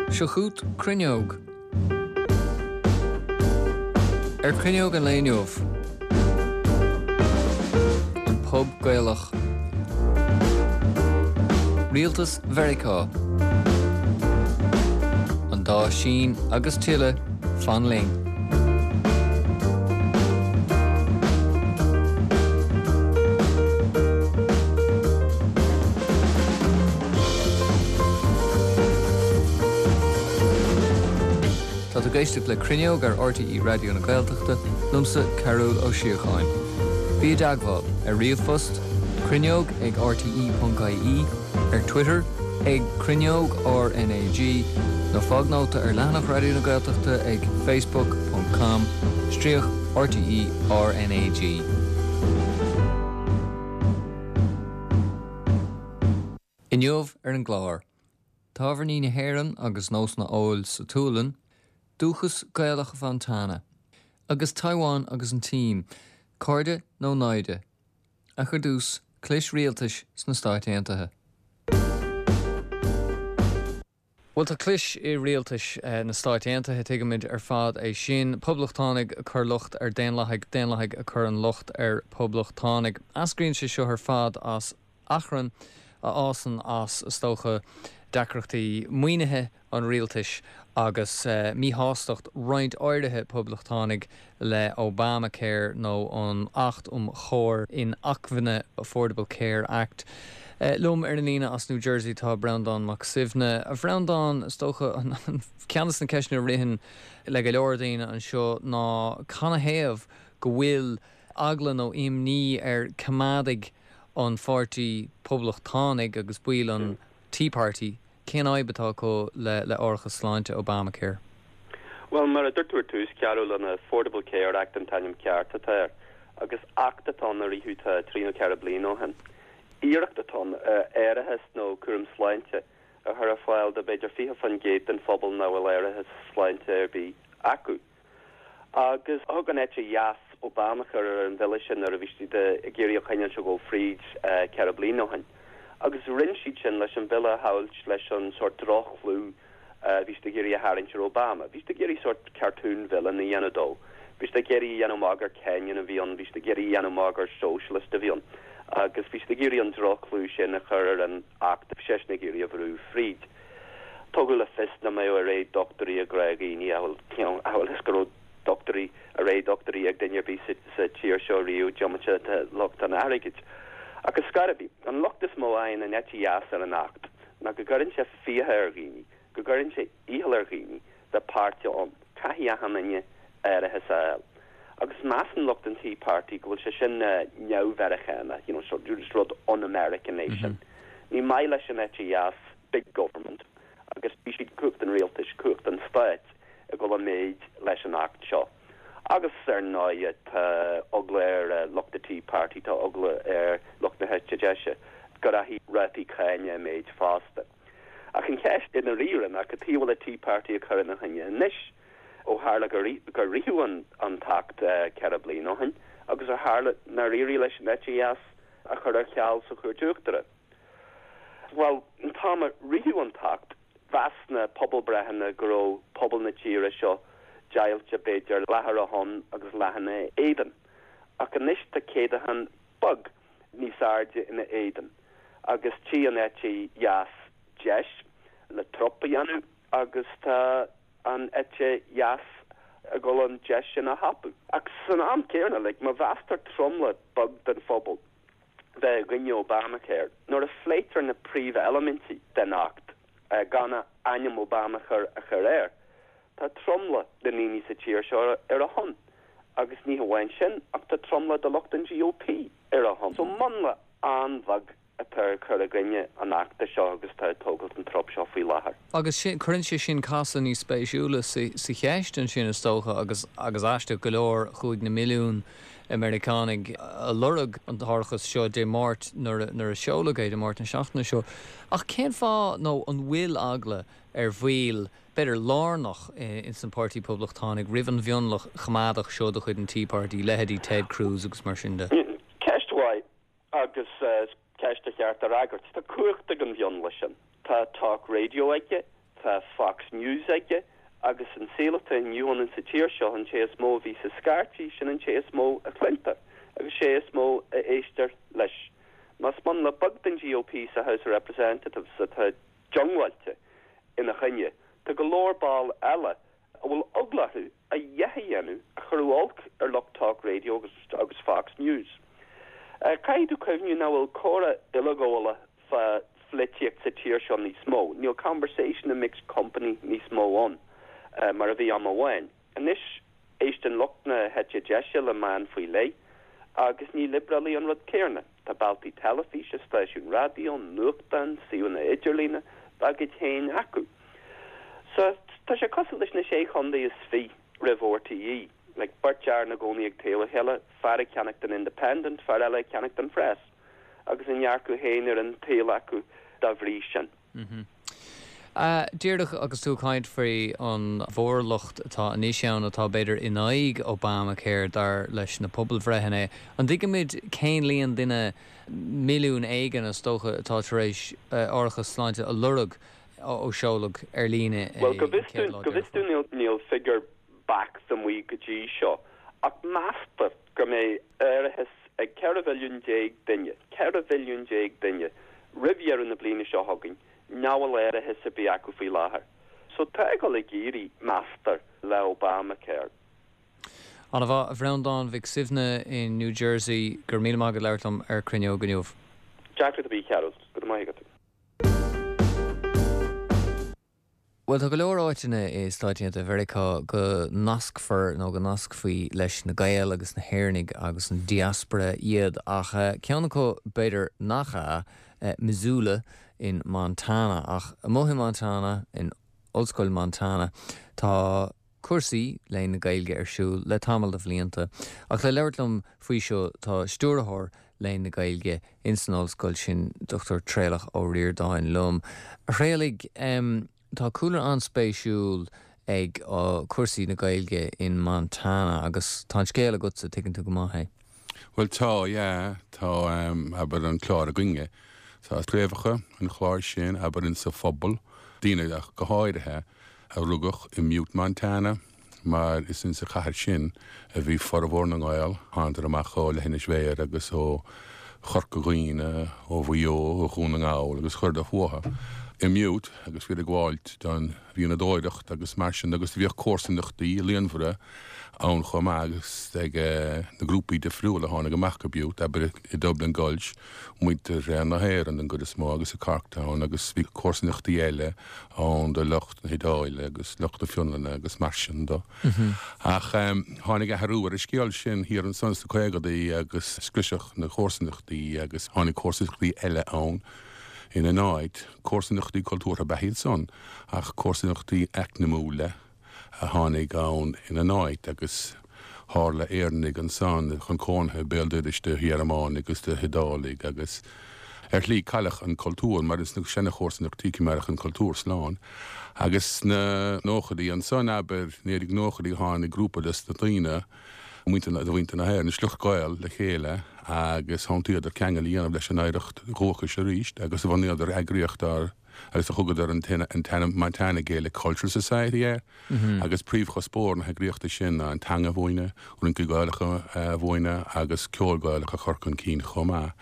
Seo chugat Cruinneog. Ar Chruinneog an lae inniu, An Pub Gaelach, Rialtas Mheiriceá, An dá Sín agus tuilleadh, fan linn. Tá tú ag éisteacht le Cruinneog ar RTÉ Raidió na Gaeltachta, liomsa Cearbhall Ó Síocháin. Bí i dteagmháil ar ríomhphost, cruinneog ag rte.ie, ar Twitter ag Cruinneog RnaG, nó fág nóta ar leathanach Raidió na Gaeltachta ag facebook ponc com stríoc RTÉ RnaG. Inniu ar an gclár, tábhairní na hÉireann agus nósanna óil sa tSualainn, dúchas Gaelach Mhontana, agus Taiwan agus an tSín, cairde nó naimhde? Ach ar dtús, clis rialtais sna Stáit Aontaithe. Bhuel, tá clis i rialtas na Stáit Aontaithe, tuigimid ar fad é sin. Poblachtánaigh ag cur locht ar Daonlathaigh, Daonlathaigh ag cur an locht ar Poblachtánaigh. Eascraíonn sé seo ar fad as achrann a fhásann as, is dócha, deacrachtaí maoinithe an rialtais agus míshástacht roinnt áirithe Poblachtánaigh le Obamacare nó an Acht um Chóir Inacmhainne, Affordable Care Act. Liom ar an líne as New Jersey tá Breandán Mac Suibhne. A Bhreandáin, is dócha ceann de na ceisteanna a ritheann le go leor daoine anseo ná canathaobh go bhfuil eagla nó imní ar choimeádaigh an Pháirtí Poblachtánaigh agus baill an Tea Party Cén fhadhb atá acu le árachas sláinte Obamacare? Bhuel, mar a dúirt tú ar tús, Cearbhall, an Affordable Care Act an t-ainm ceart atá air, agus acht atá ann a ritheadh tá trí nó ceithre bliana ó shin. Iarracht atá ann árachas nó cúram sláinte a chur ar fáil do b'fhéidir 20% den phobal nach bhfuil árachas sláinte ar bith acu. Agus thug an eite dheas Obamacare ar an bhille sin nuair a bhí siad ag iarraidh a choinneáil seo dul fríd 4 bliana ó shin. Agus rinne siad sin leis an bhille a shamhailt leis an sórt droch-chlú a bhí siad ag iarraidh a tharraingt ar Obama. Bhí siad ag iarraidh sórt cartoon villain a dhéanamh dó. Bhí siad ag iarraidh a dhéanamh amach gur Kenyan a bhí ann, bhí siad ag iarraidh a dhéanamh amach gur socialist a bhí ann. Agus bhí siad ag iarraidh an droch-chlú sin a chur ar an acht a bhí seisean ag iarraidh a bhrú fríd. Tugadh le fios nach mbeadh oiread dochtúirí ag gnáthdhaoine, amhail is go raibh dochtúirí, oiread dochtúirí ag duine ar bith sa tír seo riamh, diomaite de lucht an airgid. Ach ar scor ar bith, an locht is mó a fhaigheann an eite dheas ar an Acht ná go gcuireann sé fiacha ar dhaoine, go gcuireann sé iachall ar dhaoine bheith páirteach ann. Caithfidh achan duine árachas a fháil. Agus measann lucht an Tea Party go bhfuil sé sin neamh-Mheiriceánach, you know, sort of rud un-American é sin. Ní maith leis an eite dheas big government agus tchí siad cumhacht an rialtais, cumhacht an stáit ag dul i méid leis an Acht seo. Agus ar ndóighe tá eagla ar lucht an Tea Party, tá eagla ar lucht na heite deise go rachaidh rátaí cáine i méid fosta. Ach an cheist i ndáiríre ná cad chuige a bhfuil an Tea Party ag cur ina choinne anois, ó tharla gur ritheadh an tAcht 4 bliana ó shin agus ó tharla nár éirigh leis an eite dheas a chur ar ceal sa Chúirt Uachtarach. Bhuel, an t-am a ritheadh an tAcht, mheas na pobalbreitheanna go raibh pobal na tíre seo deighilte b'fhéidir leath ar a shon agus leath ina éadan. Ach anois tá céatadán beag níos airde ina éadan agus tchí an eite dheas deis le trup a dhéanamh agus tá an eite dheas ag dul an deis sin a thapú. Ach san am céanna, like, má mheastar tromlach beag den phobal bheith i gcoinne Obamacare, nuair a phléitear na príomheilimintí den Acht gan ainm Obamacare a chur air, tá tromlach na ndaoine sa tír seo ar a shon. Agus ní hamháin sin, ach tá tromlach de lucht an GOP ar a shon. So mionlach an-bheag atá ag cur i gcoinne an Achta seo agus atá ag tógáilt an trup seo faoi láthair. Agus sin, cuireann sé sin casadh níos spéisiúla sa cheist ansin is dócha agus agus aisteach go leor chuaigh na milliúin Meiriceánaigh a lorg an t-árachas seo Dé Máirt nuair a seoladh é, Dé Máirt na seachtaine seo. Ach cén fáth nó an bhfuil eagla ar bhaill, b'fhéidir, lárnach ins an Páirtí Poblachtánaigh roimh an mhionlach choimeádach seo de chuid an Tea Party, leithéidí Ted Cruz agus mar sin de? Ceist mhaith. Agus is ceist ba cheart a fhreagairt. Tá cumhacht ag an mhionlach sin. Tá talk radio aige. Tá Fox News aige agus an saol atá inniu ann sa tír seo, an té is mó a bhíos ag scairtigh, sin an té is mó a chluintear agus sé is mó a éistear leis. Más mionlach beag den GOP sa House of Representatives atá diongbháilte ina choinne, tá go leor ball eile a bhfuil eagla orthu a dhath a dhéanamh a chuirfeadh olc ar lucht talk radio agus Fox News. Caithfidh tú cuimhniú nach bhfuil comhrá uileghabhálach fá pholaitíocht sa tír seo níos mó. Níl conversation in mixed company níos mó ann mar a bhí am amháin. Anois éisteann lucht na heite deise le meáin faoi leith agus ní liobrálaigh an rud céarna. Tá bealtaí teilifíse, stáisiúin raidió, nuachtáin, suíomhanna idirlíne dá gcuid féin acu. So, tá sé cosúil leis na Sé Chondae is Fiche roimh RTÉ, like beirt fhear ina gcónaí ag taobh a chéile, fear ag ceannacht an Independent, fear eile ag ceannacht an Press, agus a ndearcadh féin ar an tsaol acu dá bhrí sin. Díreach agus tú ag caint faoi an mhórlucht atá anois ann atá b'fhéidir in aghaidh Obamacare dar leis na pobalbhreitheanna, an dtuigimid cén líon duine, milliún éigin is dócha, atá tar éis árachas sláinte a lorg ó seoladh ar líne é Bhuel, go bhfios dúinn, go bhfios dúinn níl figiúr beacht amuigh go dtí seo ach meastar go mbeidh árachas ag 14 mhilliún duine, 14 mhilliún duine, roimh dheireadh na bliana seo chugainn nach bhfuil árachas ar bith acu faoi láthair. So tá ag dul ag éirí, meastar, le Obamacare. Ana-mhaith, a Bhreandáin Mhic Suibhne in New Jersey, go raibh míle maith agat labhairt liom ar Cruinneog inniu. Deacracht ar bith, a Chearbhaill. Go raibh maith agat. Bhuel, tá go leor áiteanna i Stáit Aontaithe Mheiriceá go nascfar nó go nascfaí leis na Gaeil agus na hÉireannaigh agus an diaspora iad, ach ceann acu b'fhéidir nach ea, Missoula in Montana. Ach amuigh i Montana, in Ollscoil Montana, tá cúrsaí Léann na Gaeilge ar siúl le tamall de bhlianta. Ach le labhairt liom faoi seo tá Stiúrthóir Léann na Gaeilge ins an ollscoil sin, Dr Traolach Ó Ríordáin liom. A Thraolaigh, tá cúlra an-spéisiúil ag cúrsaí na Gaeilge in Montana agus tá an scéal agatsa, tuigeann tú go maith é. Bhuel tá, yeah, tá, abair, an clár againne, tá craobhacha an chláir sin, abair, insa phobal, daoine ach go háirithe a rugadh i mButte, Montana, mar is insa chathair sin a bhí formhór na nGael, thánadar amach ó Leithinis Bhéarra agus ó Chorca Dhuibhne, ó Mhaigh Eo, ó Dhún na nGall agus chuireadar fúthu i mButte agus bhíodar ag gabháilt don mhianadóireacht agus mar sin agus bhíodh comharsanachtaí líonmhara ann chomh maith agus ag na grúpaí difriúla a tháinig amach go Butte, abair i Dublin Gulch, muintir na hÉireann den gcuid is mó agus i Corktown agus bhí comharsanachtaí eile ann do lucht na hIodáile agus lucht na Fionlainne agus mar sin de. Ach tháinig athrú ar an scéal sin thiar ansan sna caogadaí agus scriosadh na comharsanachtaí agus tháinig comharsanachtaí eile ann ina n-áit, comharsanachtaí cultúrtha ab ea iad san ach comharsanachtaí eacnamúla. a tháinig ann ina n-áit agus tharla Éireannaigh ansan chun cónaithe béal dorais de Ghearmánaigh agus de hIodálaigh agus ar shlí cailleadh an cultúr mar ins na seana-chomharsanachtaí coimeádadh an cultúr slán agus sna nóchaidí ansan abair 1990idí tháinig grúpa des na daoine muintir de mhuintir na hÉireann sliocht Gael le chéile agus shantaíodar ceangal a dhéanamh leis an oidhreacht dhúchais arís agus bhunaíodar eagraíocht dar agus do thugadar an t-ainm Montana Gaelic Cultural Society air, agus príomhchuspóir na heagraíochta sin ná an teanga a mhúineadh, rincí Gaelacha a mhúineadh agus ceol Gaelach a chur chun cinn chomh maith.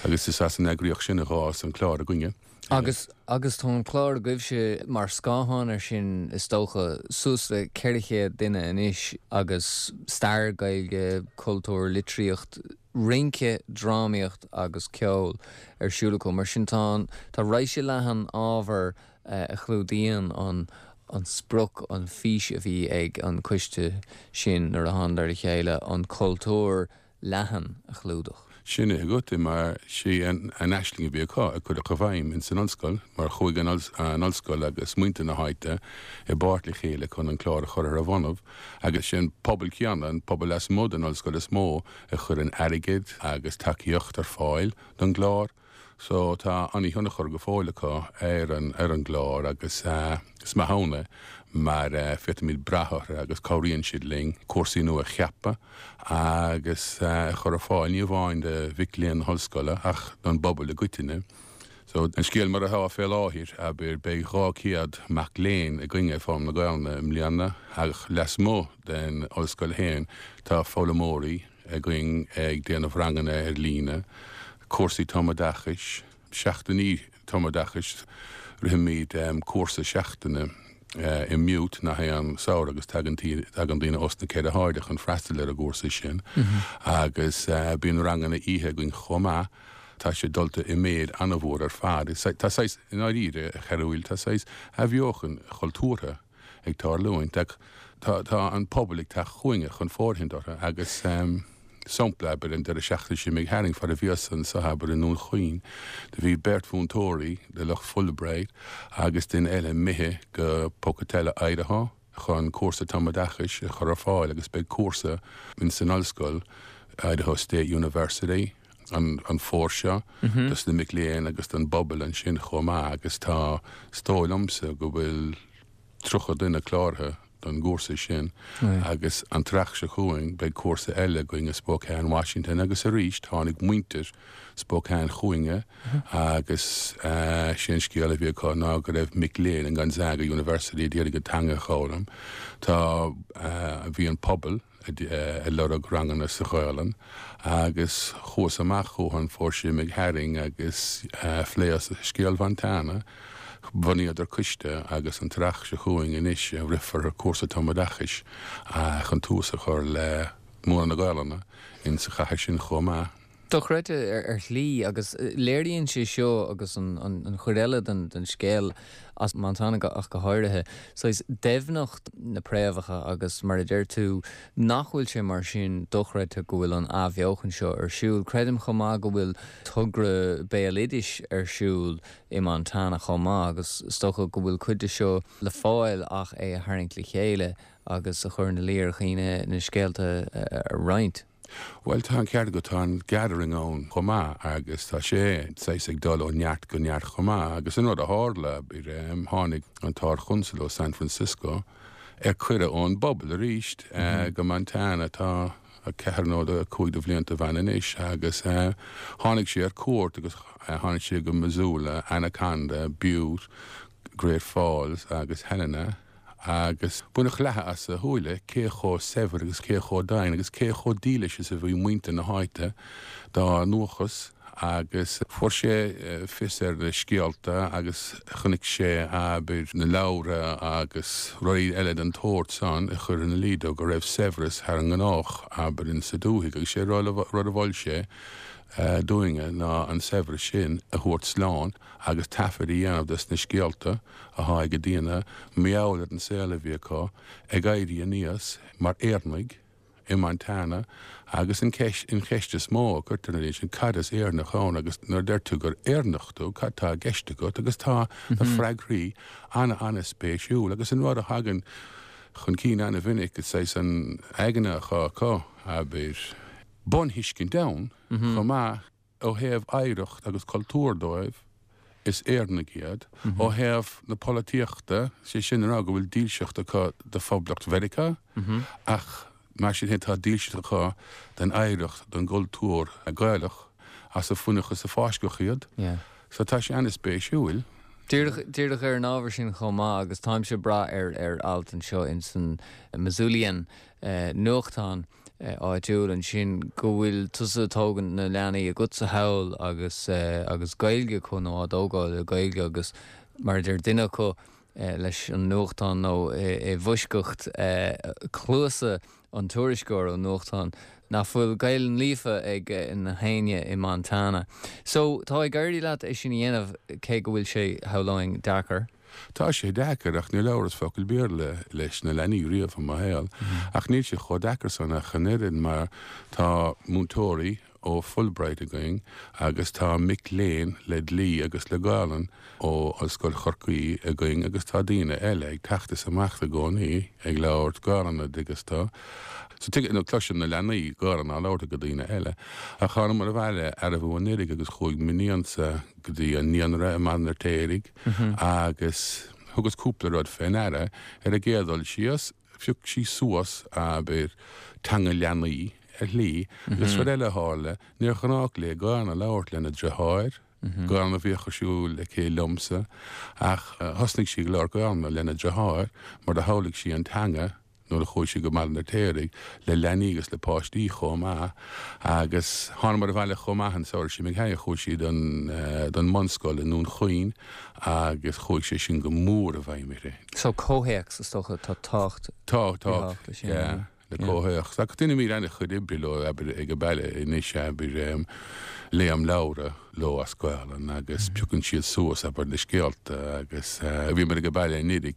Agus is as an eagraíocht sin a dh'fhás an clár againne. Agus, agus tá an clár agaibhse mar scáthán air sin is dócha, suas le 400 duine anois agus stair Gaeilge, cultúr, litríocht, rince, drámaíocht agus ceol ar siúl acu. Mar sin tá tá raidhse leathan ábhar a chlúdaíonn an an sprioc, an fís a bhí ag an coiste sin nuair a thánadar le chéile, an cultúr leathan a chlúdach. Sin é agat é mar sí an aisling a bhí acu a cuireadh i bhfeidhm ins an ollscoil mar chuaigh an ollscoil agus muintir na háite i bpáirt le chéile chun an clár a chur ar a bhonnaibh agus sé an pobal céanna, an pobal lasmuigh den ollscoil is mó a chuireann airgead agus tacaíocht ar fáil don gclár. So tá an-thionchar go fóill acu ar an ar an gclár agus is maith ann é mar féadfaimid brath orthu agus cabhraíonn siad linn cúrsaí nua a cheapadh agus a chur ar fáil ní amháin do mhic léinn na hollscoile ach don bpobal i gcoitinne. So, an scéal mar atá fé láthair, abair, beidh 200 mac léinn againn ag foghlaim na Gaelainne i mbliana ach lasmuigh den ollscoil féin tá foghlaimeoirí againn ag déanamh ranganna ar líne, cúrsaí tumoideachais, seachtainí tumoideachais, rithimid cúrsa seachtaine i mButte nach aon samhradh agus tagann tagann daoine os na ceithre hairde chun freastal ar an gcúrsa sin agus bíonn ranganna oíche againn chomh maith. Tá sé dulta i méid an-mhór ar fad. Tá saghas, i ndáiríre, a Chearbhaill, tá saghas athbheochan chultúrtha ag tarlúint ach tá tá an pobal ag teacht chugainne chun fóirithint orthu agus sampla, abair, an deireadh seachtaine seo imigh tharainn, fad a bhíos anso, abair, i nDún Chaoin, do bhí beirt mhúinteoirí de lucht Fulbright agus duine eile imithe go Pocatello, Idaho. chun cúrsa tumoideachais a chur ar fáil agus beidh cúrsa ins an ollscoil, Idaho State University, an an fómhar seo dos na mic léinn agus don bpobal ansin chomh maith agus tá, is dóigh liomsa go bhfuil 30 duine cláraithe don gcúrsa sin agus an t-earrach seo chugainn beidh cúrsa eile againn i Spokane, Washington agus arís tháinig muintir Spokane chugainne agus sé an scéal a bhí acu ná go raibh mic léinn in Gonzaga University a d'iarraidh an teanga a dh'fhoghlaim. Tá, bhí an pobal ag lorg ranganna sa Ghaolainn agus chuas amach chucu an fómhar seo imigh tharainn agus phléas scéal Mhontana. Bhunaíodar coiste agus an t-earrach seo chugainn anois rithfear cúrsa tumoideachais chun tús a chur le múineadh na Gaolainne in sa chathair sin chomh maith. Dochreidte ar shlí, agus léiríonn sé seo, agus an chuid eile den scéal as Montana ach go háirithe, saghas doimhneacht na préamhacha agus mar a deir tú, nach bhfuil sé mar sin dochreidte go bhfuil an athbheochan seo ar siúl. Creidim chomh maith go bhfuil togra béaloidis ar siúl i Montana chomh maith agus is dócha go bhfuil cuid de seo le fáil ach é a tharraingt le chéile agus a chur ina luí ar dhaoine na scéalta a roinnt. Bhuel, tá an ceart agat, tá an Gathering ann chomh maith agus tá sé saghas ag dul ó neart go neart chomh maith agus an rud a tharla, tháinig an tArd-Chonsal ó San Francisco ar cuireadh ón bpobal arís go Montana, tá ceathair nó cúig de bhlianta ó shin anois agus tháinig sé ar cuairt agus tháinig sé go Missoula, Anaconda, Butte, Great Falls agus Helena. agus baineadh leathadh as a shúile cé chomh saibhir agus cé chomh doimhin agus cé chomh dílis is a bhí muintir na háite dá ndúchas agus fuair sé fios ar na scéalta agus chonaic sé, abair, na leabhra agus rudaí eile den tsórt san a chuir ina luí dó go raibh saibhreas thar an ngnách, abair, insa dúthaigh agus sé rud a mhol sé dúinne ná an saibhreas sin a thabhairt slán agus taifead a dhéanamh des na scéalta athá ag daoine mar gheall ar an saol a bhí acu ag éirí aníos mar Éireannaigh i Montana agus an ceist an cheist is mó a cuirtear na daoine sin cad is Éireannach ann agus nuair a deir tú gur Éireannach tú cad tá i gceist agat agus tá na freagraí ana-ana-spéisiúil agus an rud a thagann chun cinn ana-mhinic is saghas an aigne athá acu abair bunthuiscint ann chomh maith. Ó thaobh oidhreacht agus cultúr dóibh, is Éireannaigh iad. Ó thaobh na polaitíochta, sé sin a rá go bhfuil dílseacht acu do Phoblacht Mheiriceá, ach mar sin féin tá dílseacht acu don oidhreacht, don gcultúr Gaelach as a fuineadh is a fáisceadh iad. So tá sé an-spéisiúil. Díreach, díreach ar an ábhar sin chomh maith, agus táimse ag brath ar ar alt anseo ins an Missoulian, nuachtán, áitiúil ansin go bhfuil tusa ag tógaint na leanaí agatsa thall agus agus Gaeilge acu nó á dtógáil le Gaeilge agus mar a deir duine acu leis an nuachtán nó i bhfoisceacht cluasa an tuairisceoir ón nuachtán nach bhfuil Gaelainn líofa ag na héinne i Montana. So tá ag éirí leat é sin a dhéanamh cé go bhfuil sé, shamhlóinn, deacair. Tá sé deacair, ach níor labhras focal Béarla leis na leanaí riamh i mo shaol. Ach níl sé chomh deacair san ach an oiread mar tá múinteoirí ó Fulbright againn agus tá mic léinn le dlí agus le Gaolainn ó Ollscoil Chorcaí againn agus tá daoine eile ag teacht is imeacht i gcónaí ag labhairt Gaolainne an dtuigeann tú. So tuige, nó cloiseann na leanaí Gaolainn á labhairt ag daoine eile. Ach thánamar abhaile arbú anuraidh agus chuaigh m'iníonsa go dtí an naíonra i mBaile an Fheirtéaraigh agus thugas cúpla rud fé ndeara. Ar an gcéad dul síos, phioc sí suas, abair, teanga leanaí ar shlí agus rud eile a tharla, níor ghnách léi Gaolainn a labhairt lena deartháir. Gaelainn a bhíodh ar siúl aici liomsa ach thosnaigh sí ag labhairt Gaelainne lena deartháir mar do shamhlaigh sí an teanga nuair a chuaigh sí go Baile an Fheirtéaraigh le leanaí agus le páistí chomh maith agus thánamar abhaile chomh maith an samhradh sin imigh chuaigh sí don don mbunscoil i nDún Chaoin agus chuaigh sé sin go mór i bhfeidhm uirthi. So comhthéacs is dócha tá tábhacht Tá, tá, yeah. le comhthéacs. Ach deinimid an-chuid oibre leo, abair, ag an baile anois, abair, léim leabhra leo as Gaolainn agus piocann siad suas, abair, na scéalta agus bhíomar ag an baile anuiridh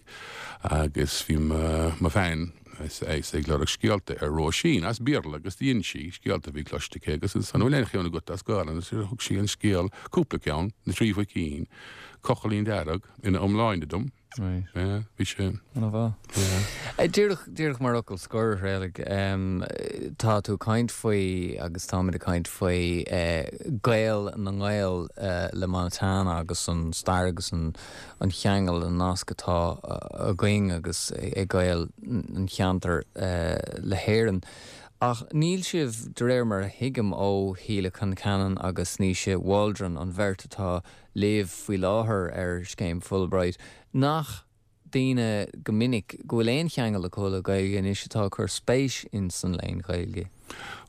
agus bhí mo bhean ag lorg scéalta ar Róisín as Béarla agus dhein sí scéalta a bhí cloiste aici agus ansan, bhfuil aon cheann agat as Gaolainn? Agus thug sí an scéal, cúpla ceann, Na Trí Mhuicín, Cochaillín Dearg ina iomláine dom. Right. Yeah, bhí sé. Ana-mhaith. Yeah. Díreach, díreach mar fhocal scoir, a Thraolaigh, tá tú ag caint faoi, agus táimid ag caint faoi, Gael na nGael le Montana agus an stair agus an an cheangal, an nasc atá againn agus ag Gaeil an cheantair le hÉirinn. Ach níl sibh, de réir mar a thuigim ó Shíle Concannon agus Naoise Waldron, an bheirt atá libh faoi láthair ar Scéim Fulbright, nach daoine go minic go bhfuil aon cheangal acu le Gaeilge anois atá ag cur spéis ins an léann Ghaeilge.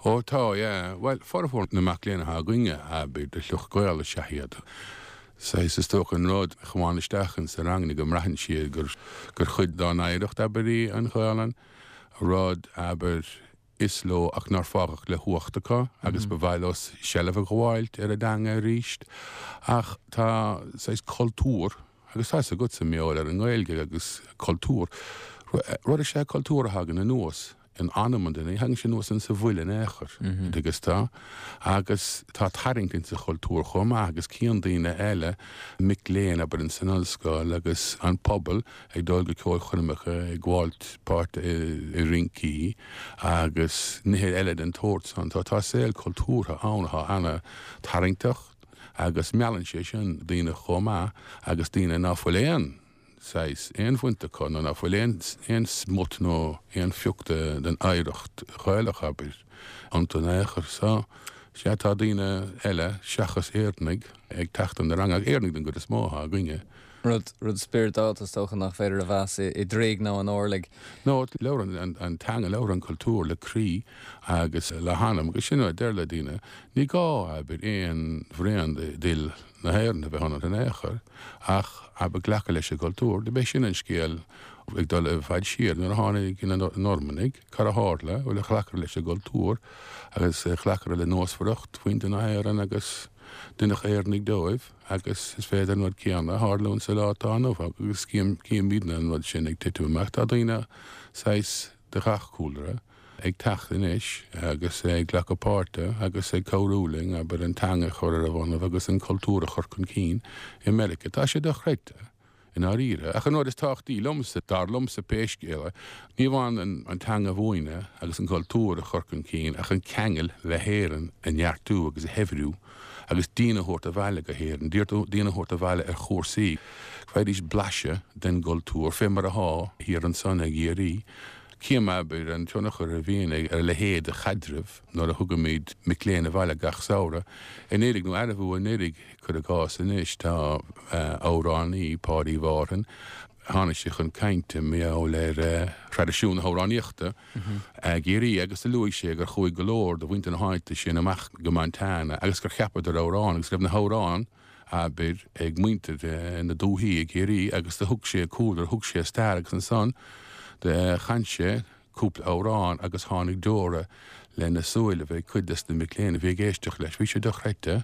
Ó tá, yeah. Bhuel, formhór na mac léinn atá againne, abair, de shliocht Gael is ea iad. Saghas, is dócha an rud a chomáin isteach ins na ranganna go mbraitheann siad gur gur chuid dá n-oidhreacht, abair, í an Ghaelainn, rud, abair, is leo ach nár fágadh le huacht acu agus ba mhaith leo seilbh a ghabháilt ar a dteanga arís. Ach tá saghas cultúr, agus tá 'fhios agatsa mar gheall ar an nGaeilge agus cultúr, rud is ea cultúr a thagann anuas in anam an duine, ní thagann sé anuas insa bhfuil in aon chor, agus tá, agus tá tarraingt insa chultúr chomh maith agus cíonn daoine eile, mic léinn abair ins an ollscoil agus an pobal, ag dul go ceolchoirmeacha, ag gabháilt páirte i rincí agus nithe eile den tsórt san. Tá tá saol cultúrtha ann atá ana-tharraingteach agus meallann sé sin daoine chomh maith agus daoine ná fuil aon saghas, aon bhaint acu nó ná fuil aon aon smut nó aon phioc de den oidhreacht Ghaelach, abair, iontu in aon chor. So, sea, tá daoine eile seachas Éireannaigh ag teacht chun na ranga, ach Éireannaigh den gcuid is mó atá againne. Rud, rud spioradálta is dócha nach féidir a mheas i dtroigh nó in orlaigh. No, labhrann an teanga, labhrann an cultúr le croí agus le hanam agus sin a deir le daoine, ní gá, abair, aon bhraon d'fhuil na hÉireann a bheith ionat in aon chor ach, abair, glacadh leis an gcultúr. B'é sin an scéal ag dul i bhfad siar nuair a tháinig na Normannaigh, cad a tharla? Bhuel, ghlacadar leis an gcultúr agus ghlacadar le nósmhaireacht mhuintir na hÉireann agus deineadh Éireannaigh dóibh. Agus is féidir an rud céanna a tharlúint sa lá atá inniu agus címidne an rud sin ag titim amach. Tá daoine saghas de ghach cúlra ag teacht anois agus ag glacadh páirte agus ag cabhrú linn, abair, an teanga a chur ar a bonnaibh agus an cultúr a chur chun cinn i Meiriceá. Tá sé dochreidte. i ndáiríre. Ach an rud is tábhachtaí liomsa, dar liomsa pé scéal é, ní amháin an teanga a mhúineadh agus an cultúr a chur chun cinn ach an ceangal le hÉirinn a neartú agus a shaibhriú agus daoine a thabhairt abhaile go hÉirinn, daoine a thabhairt abhaile ar chúrsaí, go bhfaighidís blaiseadh den gcultúr fé mar athá thiar ansan i gCiarraí. Cím, abair, an tionchar a bhíonn ar a leithéid de chaidreamh nuair a thugaimid mic léinn abhaile gach samhradh. Anuraidh, nó arbh fhiú anuraidh, cuir i gcás anois, tá amhránaí, Páidí Mhárthain, tháinig sé chun cainte mar gheall ar thraidisiún na hamhránaíochta i gCiarraí agus do luaigh sé gur chuaigh go leor de mhuintir na háite sin amach go Montana agus gur cheapadar amhráin agus go raibh na hamhráin abair, ag muintir na dúthaí i gCiarraí agus do thug sé a cúlra, thug sé a stair agus ansan do chan sé cúpla amhrán agus tháinig deora lena súilibh ag cuid des na mic léinn a bhí ag éisteacht leis. Bhí sé dochreidte.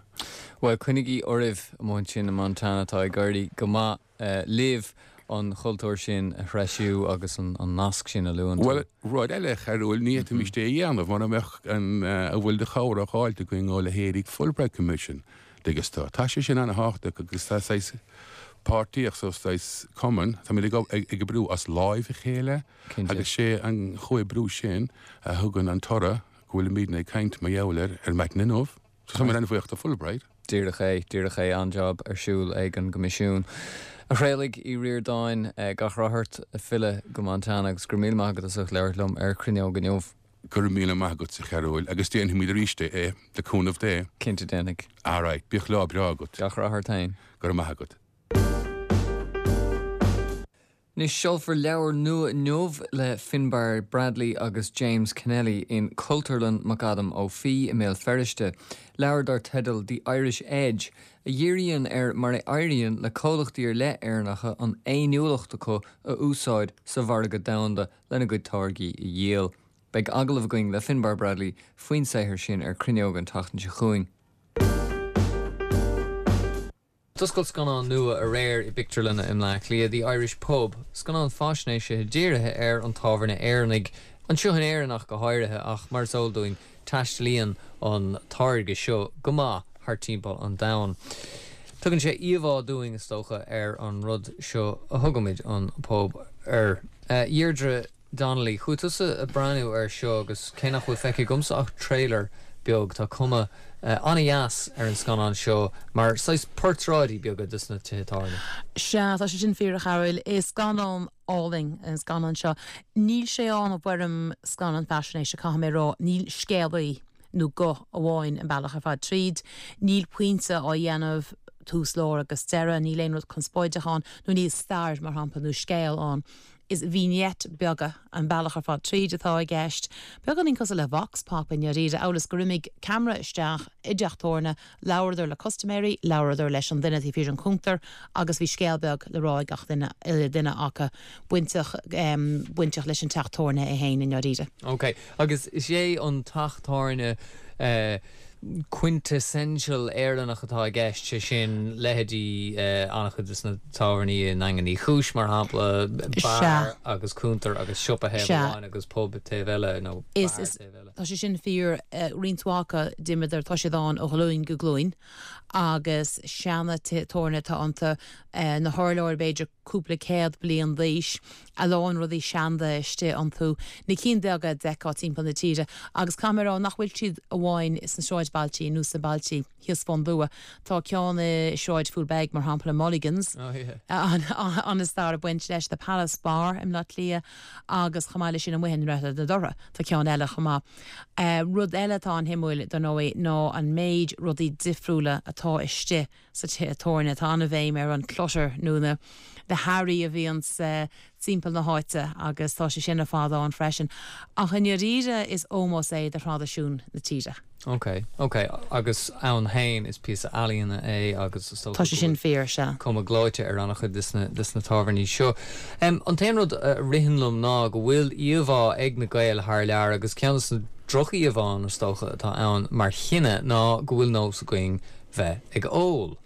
Bhuel, coinnigí oraibh amuigh ansin i Montana, tá ag éirí go maith libh an cultúr sin a threisiú agus an nasc sin a luann tú. Bhuel, rud eile, a Chearúil, ní fhéadfaimis é a dhéanamh mura mbeadh an a bhfuil de chabhair á fháilt againn ó leithéidí Fulbright Commission, dtuigeann tú. Tá sé sin ana-thábhachtach agus tá saghas páirtíocht so saghas cumann, táimid ag ag oibriú as láimh a chéile agus sé an chomhoibriú sin a thugann an toradh go bhfuilimidne ag caint mar gheall air ar maidin inniu. So táimid an-bhuíoch do Fulbright. Díreach é, díreach é, an-jab ar siúl ag an gCoimisiún. A Thraolaigh Uí Ríordáin, gach rath ort ag filleadh go Montana agus go raibh míle maith agat as ucht labhairt liom ar Cruinneog inniu. Go raibh míle maith agat, a Chearúil, agus déanfaimid arís é, le cúnamh Dé. Cinnte déanfaidh. Alright, bíodh lá breá agat. Gach rath ort féin. Go raibh maith agat. Anois, seolfar leabhar nua inniu le Finbarr Bradley agus James Kennelly in Cultúrlann McAdam Ó Fiaich i mBéal Feirste, leabhar dar teideal The Irish Edge, a dhíríonn ar mar a éiríonn le comhlachtaí ar leith Éireannacha an fhéiniúlacht acu a úsáid sa mhargadh domhanda lena gcuid táirgí a dhíol. Beidh agallamh againn le Finbarr Bradley faoin saothar sin ar Cruinneog an tseachtain seo chugainn. D'oscail scannán nua aréir i bpictiúrlanna i mBleá Cliath, The Irish Pub, scannán faisnéise dírithe ar an tábhairne Éireannaigh, anseo in Éirinn ach go háirithe, ach mar is eol dúinn, taistealaíonn an táirge seo go maith thart timpeall an domhain. Tugann sé íomhá dúinn, is dócha, ar an rud seo a thugaimid an pub air. Deirdre. Donnelly, chuaigh tusa ag breathnú air seo agus cé nach bhfuil feicthe agamsa ach trailer beag, tá cuma an-dheas ar an scannán seo mar saghas portráidí beaga de na tithe tábhairne. Sea, tá sé sin fíor, a Chearúil. Is scannán álainn an scannán seo. Níl sé ann i bhfoirm scannán faisnéise, caithfidh mé a rá. Níl scéalaí nó guth amháin an bealach ar fad tríd. Níl pointe á dhéanamh tús, lár agus deireadh. Níl aon rud conspóideach ann, nó níl stair, mar shampla, nó scéal ann. Is vignette beaga an bealach ar fad tríd atá i gceist, beagáinín cosúil le vox pop i ndáiríre, amhail is gur imigh ceamara isteach i dteach tábhairne, labhradar le custaiméirí, labhradar leis an duine taobh thiar den chuntar agus bhí scéal beag le rá ag gach duine, uile duine acu, bainteach, bainteach leis an teach tábhairne é féin i ndáiríre. Ok, agus is é an teach tábhairne quintessential Éireannach atá i gceist, sé sin, leithéidí an-chuid de na tábhairní i nDaingean Uí Chúis, mar shampla, beár agus cuntar agus siopa thaobh amháin agus pub taobh eile, nó beár taobh eile. Tá sé sin fíor, roinnt mhaith acu, d'imíodar, tá siad ann ó ghlúin go glúin agus seana tithe tábhairne atá iontu, na hurláir b'fhéidir, cúpla céad bliain d'aois, a lán rudaí seanda istigh iontu, na cinn bheaga a d'fheicfeá timpeall na tíre, agus caithfidh mé a rá nach bhfuil siad amháin sna sráidbhailtí nó sna bailtí thíos fán dtuath. Tá ceann i Sráid Phoolbeg, mar shampla, Mulligan's, an-stair ag baint leis, The Palace Bar i mBleá Cliath agus chomh maith leis sin amuigh i nDroichead na Dothra, tá ceann eile chomh maith. Rud eile atá an-shuimiúil, dar ndóigh, ná an méid rudaí difriúla atá istigh sa tithe tabhairne. Tá an-bhéim ar an clutter nó na na hearraí a bhíonns timpeall na háite agus tá sé sin ar fad ann freisin. Ach i ndáiríre is ómós é do thraidisiún na tíre. Ok, ok. Agus ann féin is píosa ealaíona é agus is dócha Tá sé sin fíor, sea. cuma gleoite ar an-chuid de sna de sna tábhairní seo. An t-aon rud a ritheann liom ná go bhfuil íomhá ag na Gaeil thar lear agus ceann de na droch-íomhánna is dócha atá ann mar chine ná go bhfuil nós againn bheith ag ól.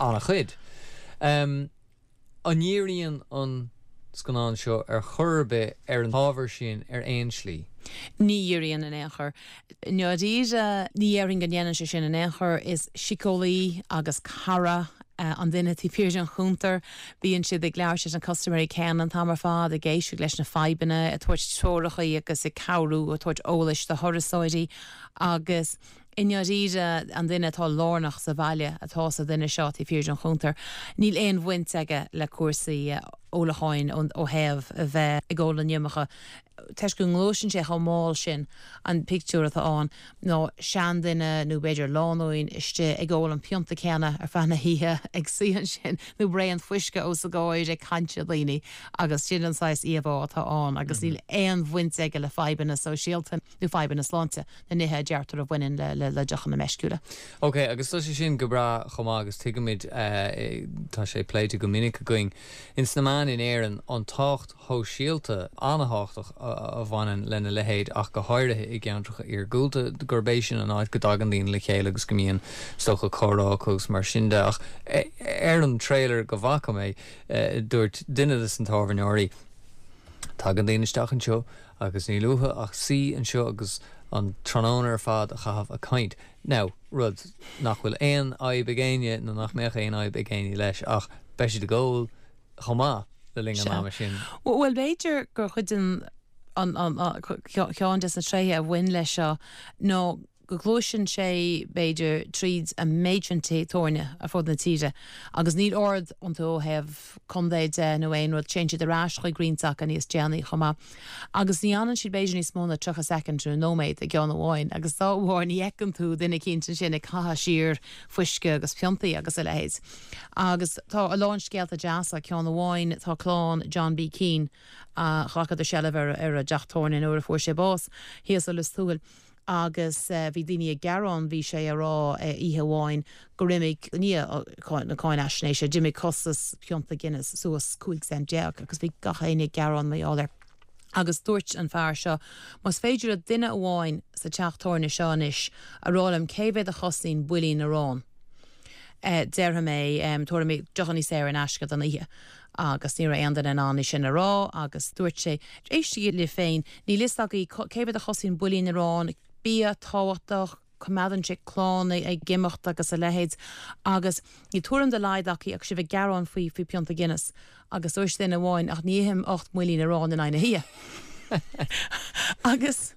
An-chuid. An ndíríonn an scannán seo ar chor ar bith ar an ábhar sin ar aon slí? Ní dhíríonn in aon chor. I ndáiríre, ní dhéarfainn go ndéanann sé sin in aon chor. Is síceolaí agus cara an duine taobh thiar den chuntar. Bíonn siad ag labhairt leis na custaiméirí céanna an t-am ar fad, ag éisteacht leis na fadhbanna, ag tabhairt treoracha agus ag cabhrú, ag tabhairt eolais do thurasóirí agus I ndáiríre, an duine atá lárnach sa bhaile atá sa duine seo taobh thiar den chuntar. Níl aon bhaint aige le cúrsaí ólacháin ó thaobh a bheith ag ól an iomarca. Toisc go ngluaiseann sé chomh mall sin, an pictiúr atá ann ná seanduine nó b'fhéidir lánúin istigh ag ól an pionta céanna ar feadh na hoíche, ag suí ansin nó braon fuisce os a gcomhair ag caint le daoine agus sin an saghas íomhá atá ann agus níl aon bhaint aige le fadhbanna sóisialta nó fadhbanna sláinte. na nithe a deirtear a bhaineann le deochanna meisciúla. Ok, agus tá sé sin go breá chomh maith agus tuigimid, tá sé pléite go minic againn ins na meáin in Éirinn, an tábhacht shóisialta an-thábhachtach a bhaineann lena leithéid ach go háirithe i gceantracha iargúlta, gurb é sin an áit go dtagann daoine le chéile agus go mbíonn, is dócha, comhrá acu agus mar sin de. Ach ar an trailer go bhfaca mé, dúirt duine de na tábhairneoirí, Tagann daoine isteach anseo Agus níl uathu ach suí anseo agus an tráthnóna ar fad a chaitheamh ag caint. Now, rud nach bhfuil aon fhadhb ag éinne nó nach mbeadh aon fhadhb ag éinne leis ach beidh siad ag ól chomh maith le linn an ama sin. Bhuel, b'fhéidir gur chuid den, an, an, ceann des na tréithe a bhain leis seo ná. go gluaiseann sé, b'fhéidir, tríd an méid sin tithe tabhairne ar fud na tíre agus níl ord iontu ó thaobh contae de nó aon rud, téann siad ar ais chuig roinnt acu níos déanaí chomh maith. Agus ní fhanann siad b'fhéidir níos mó ná 30 soicind nó nóiméad i gceann amháin agus dá bharr ní fheiceann tú duine eicínt ansin ag caitheamh siar fuisce agus piontaí agus a leithéid. Agus tá a lán scéalta deasa, ceann amháin tá clann John B. Keane, a ghlacadar seilbh ar an dteach tabhairne nuair a fuair sé bás thíos i Lios Tuathail agus bhí daoine ag gearán, bhí sé a rá oíche amháin gur imigh, i ndiaidh na cáinaisnéise, d'imigh costas pionta Guinness suas 15 cent agus bhí gach éinne ag gearán mar gheall air. Agus dúirt an fear seo, más féidir le duine amháin sa teach tabhairne seo anois a rá liom cé mhéad a chosnaíonn builín aráin, déarfaidh mé, tabharfaidh mé deochannaí saor in aisce don oíche. Agus ní raibh aon duine in ann é sin a rá agus dúirt sé, éistigí libh féin, níl fhios agaibh cé mhéad a chosnaíonn builín aráin, bia tábhachtach, coimeádann sé clann ag imeacht agus a leithéid agus níl tuairim dá laghad acu ach sibh ag gearán faoi faoi pionta Guinness. Agus dúirt duine amháin, ach ní ithim 8 mbuilín aráin in aghaidh na hoíche. Agus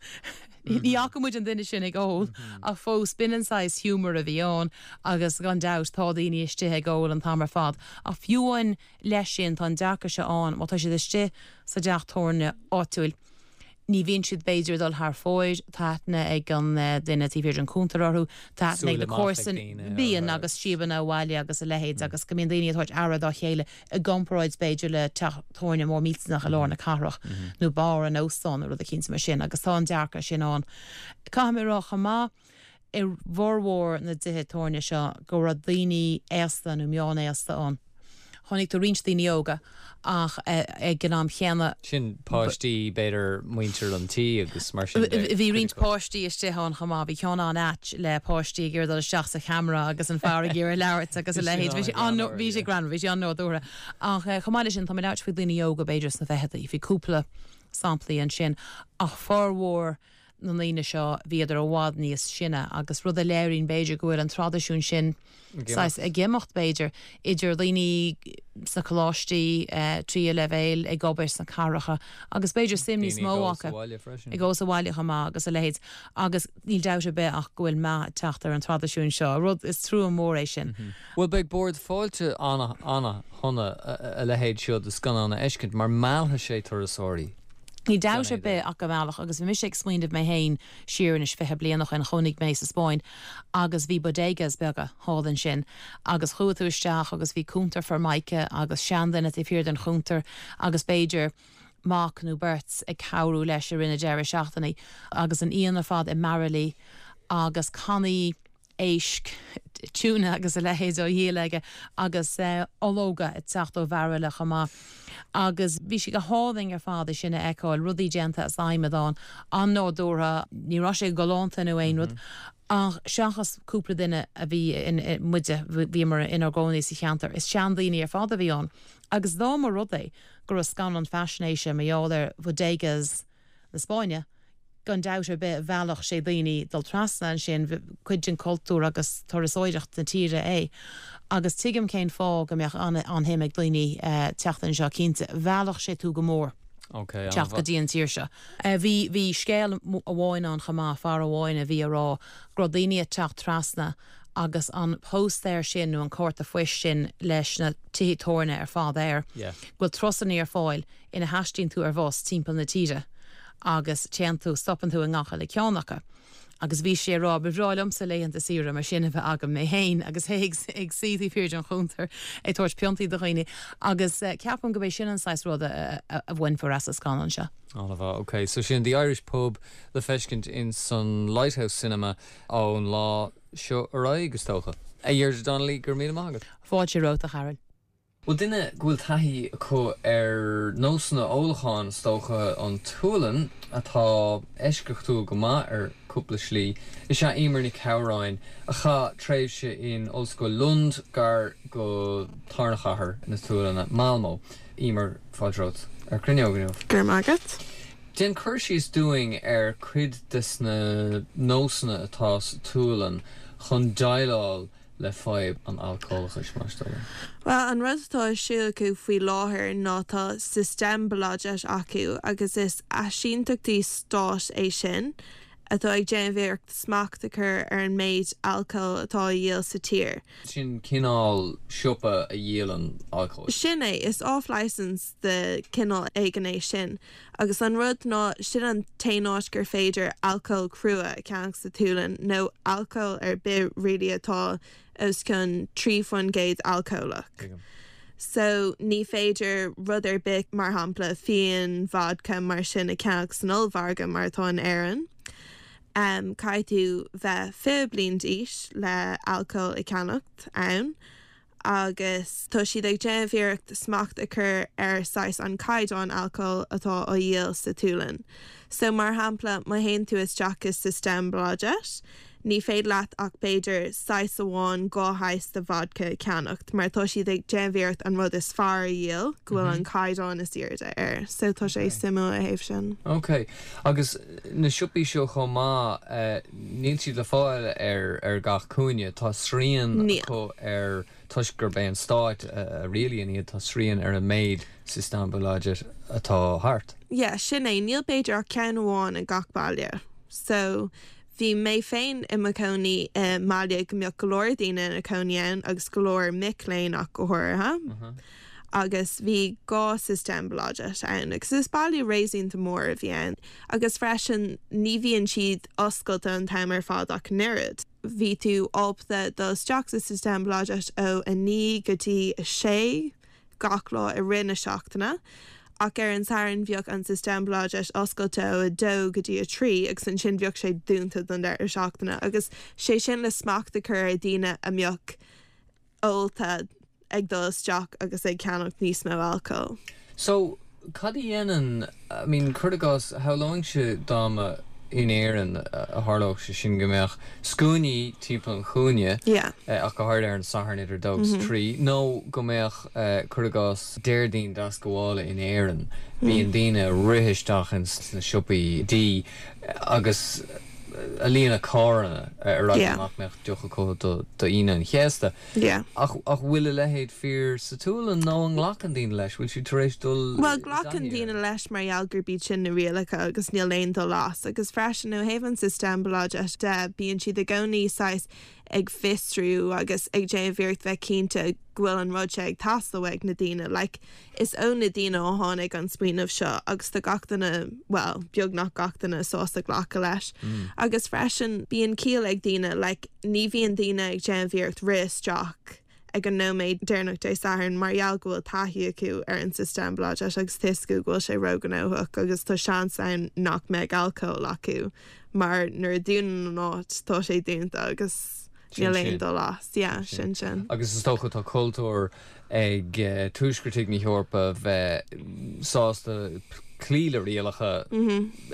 ní fhaca muid an duine sin ag ól ach fós b'in an saghas humour a bhí ann agus gan dabht tá daoine istigh ag ól an t-am ar fad ach fiú amháin leis sin tá an dearcadh seo ann má tá siad istigh sa dteach tabhairne áitiúil ní bhíonn siad b'fhéidir ag dul thar fóir, tá aithne ag an duine taobh thiar den chuntar orthu, tá aithne ag na comharsana, bíonn agus síobanna abhaile agus a leithéid agus go mbíonn daoine ag tabhairt aire dá chéile i gcomparáid b'fhéidir le teach tabhairne mór millteanach i lár na cathrach nó beár in óstán nó rud eicínt mar sin agus tá an dearcadh sin ann. Caithfidh mé a rá chomh maith i bhformhór na dtithe tabhairne seo go raibh daoine aosta nó meánaosta ann. Chonaic tú roinnt daoine óga ach ag an am chéanna. Sin páistí, b'fhéidir muintir an tí agus mar sin de. Bhí roinnt páistí istigh ann chomh maith. Bhí ceann an-ait le páistí ag iarraidh dul isteach sa cheamara agus an fear ag iarraidh labhairt agus a leithéid. Bhí sé an, bhí sé greannmhar, bhí sé an-nádúrtha. Ach chomh maith leis sin, tá mé ag labhairt faoi daoine óga b'fhéidir sna ficheadaí. Bhí cúpla samplaí ansin ach formhór na ndaoine seo, bhíodar i bhfad níos sine agus rud a léiríonn b'fhéidir go bhfuil an traidisiún sin saghas ag imeacht b'fhéidir, idir daoine sna coláistí tríú leibhéal ag obair sna cathracha agus b'fhéidir suim níos mó acu ag dul sa bhaile chomh maith agus a leithéid agus níl dabht ar bith ach go bhfuil meath ag teacht ar an traidisiún seo, rud is trua mór é sin. Bhuel beidh Bord Fáilte ana-shona a leithéid seo de scannán a fheiscint mar meallfaidh sé turasóirí. Níl dabht ar bith ach go meallfadh agus bhí mise ag smaoineamh mé féin siar anois 20 bliain ó shin, chónaigh mé sa Spáinn agus bhí bodegas beaga thall ansin agus chuaigh tú isteach agus bhí cuntar formica agus seanduine taobh thiar den chuntar agus b'fhéidir mac nó beirt ag cabhrú leis i rith na deireadh seachtaine agus an fhíon ar fad i mbairillí agus cannaí éisc, tuna agus a leithéid á dhíol aige agus ológa ag teacht ó bhairille chomh maith. Agus bhí sé go hálainn ar fad é sin a fheiceáil, rudaí déanta as adhmad ann, an-nádúrtha, ní raibh sé galánta nó aon rud ach seachas cúpla duine a bhí in, muide, bhíomar inár gcónaí sa cheantar, is seandaoine ar fad a bhí ann. Agus dá mba rud é go raibh scannán faisnéise mar gheall ar bodegas na Spáinne, gan dabht ar bith mheallfadh sé daoine dul trasna ansin, cuid den cultúr agus turasóireacht na tíre é. Agus tuigim cén fáth go mbeadh an-shuim ag daoine teacht anseo, cinnte. Mheallfadh sé tú go mór teacht go dtí an tír seo. Bhí, bhí scéal amháin ann chomh maith, fear amháin a bhí a rá go raibh daoine ag teacht trasna agus an póstaer sin nó an cárta phoist sin leis na tithe tabhairne ar fad air, go bhfuil turasanna ar fáil ina thaistíonn tú ar bhus timpeall na tíre agus téann tú, stopann tú i ngach uile ceann acu. Agus bhí sé ag rá, ba bhreá liomsa laethanta saoire mar sin a bheith agam mé féin agus é ag suí taobh thiar den chuntar ag tabhairt piontaí do dhaoine. Agus ceapaim gurb é sin an saghas rud a bhainfear as an scannán seo. An-mhaith, ok. So sin The Irish Pub le feiscint in san Lighthouse Cinema ón lá seo ar aghaidh, is dócha. A Dheirdre Donnelly, go raibh míle maith agat. Fáilte romhat, a Chathail. Bhuel, duine go bhfuil taithí acu ar nósanna ólacháin, is dócha, an tSualainn, atá eisceachtúil go maith ar cúpla slí, is ea Emer Nic Shamhráin, a chaith tréimhse in Ollscoil Lund, gar go tarna chathair na Sualainne, Malmö. Emer, fáilte romhat ar Cruinneog inniu. Go raibh maith agat. Déan cur síos dúinn ar cuid des na nósanna atá sa tSualainn chun déileáil le fadhb an alcólachais, más dóigh leat? Bhuel, an rud atá ar siúl acu faoi láthair ná tá Systembolaget acu agus is áisínteachtaí stáit é sin. atá ag déanamh iarracht smacht a chur ar an méid alcóil atá á dhíol sa tír. Sin cineál siopa a dhíolann alcól. Sin é, is off-licence de chineál éigin é sin. Agus an rud ná, sin an t-aon áit gur féidir alcól crua a cheannach sa tSualainn, nó alcól ar bith really atá os cionn 3% alcólach. Tuigim. So, ní féidir rud ar bith, mar shampla, fíon, vodka, mar sin a cheannach san ollmhargadh mar atá in Éirinn. Caithfidh tú bheith 20 bliain d'aois le alcól a cheannacht ann agus tá siad ag déanamh iarracht smacht a chur ar saghas an caighdeán alcóil atá á dhíol sa tSualainn. So, mar shampla, má théann tú isteach i Systembolaget, Ní féidir leat ach b'fhéidir saghas amháin, 2 shaghas de vodka a cheannacht mar tá siad ag déanamh iarracht an rud is fearr a dhíol, go bhfuil an caighdeán is airde air. So tá sé suimiúil ó thaobh sin. Ok. Agus na siopaí seo chomh maith, níl siad le fáil ar ar gach cúinne. Tá srian acu ar, toisc gurb é an stáit a rialaíonn iad, tá srian ar an méid Systembolaget atá thart. Yeah, sin é. Níl b'fhéidir ach ceann amháin i gach baile. So Bhí mé féin i mo chónaí i mbaile go mbeadh go leor daoine ina cónaí ann agus go leor mic léinn ach go háirithe. Agus bhí 2 Systembolaget ann agus is baile réasúnta mór a bhí ann. Agus freisin ní bhíonn siad oscailte an t-am ar fad ach an oiread. Bhí tú ábalta dul isteach sa Systembolaget ó 9 go dtí 6. gach lá i rith na seachtaine, ach ar an Satharn bheadh an Systembolaget oscailte ó 2 go dtí 3 agus ansin bheadh sé dúnta don deireadh seachtaine agus sé sin le smacht a chur ar dhaoine a mbeadh ólta ag dul isteach agus ag ceannacht níos mó alcóil. So, cad a dhéanann, I mean, cuir i gcás, shamhlóinnse dá mba in Éirinn a tharlódh sé sin go mbeadh scuainí timpeall an chúinne, ach go háirithe ar an Satharn idir dó agus trí, nó go mbeadh, cuir i gcás, Déardaoin Deascabhála in Éirinn, bíonn daoine ag rith isteach ins na siopaí dí agus a líonadh carranna ar eagla nach mbeadh deoch acu d'Aoine an Chéasta. Yeah. Ach ach bhfuil a leithéid fíor sa tSualainn nó an nglacann daoine leis? Bhfuil siad tar éis dul i Bhuel, glacann daoine leis mar gheall gurb iad sin na rialacha agus níl aon dul as. Agus freisin ó thaobh an Systembolaget de, bíonn siad i gcónaí saghas ag fiosrú agus ag déanamh iarracht bheith cinnte go bhfuil an rud seo ag teastáil uaidh na daoine. Like, Is ó na daoine a tháinig an smaoineamh seo agus tá gach duine, bhuel, beagnach gach duine sásta glacadh leis. Agus freisin, bíonn ciall ag daoine, like, ní bhíonn daoine ag déanamh iarracht rith isteach ag an nóiméad deireanach Dé Sathairn mar gheall go bhfuil taithí acu ar an Systembolaget agus tá 'fhios acu go bhfuil sé róghnóthach agus tá seans ann nach mbeidh alcól acu mar nuair a dúnann an áit tá sé dúnta agus níl aon dul as. Yeah, sin sin. Agus is dócha tá cultúr ag tuaisceartaigh na hEorpa bheith sásta cloí le rialacha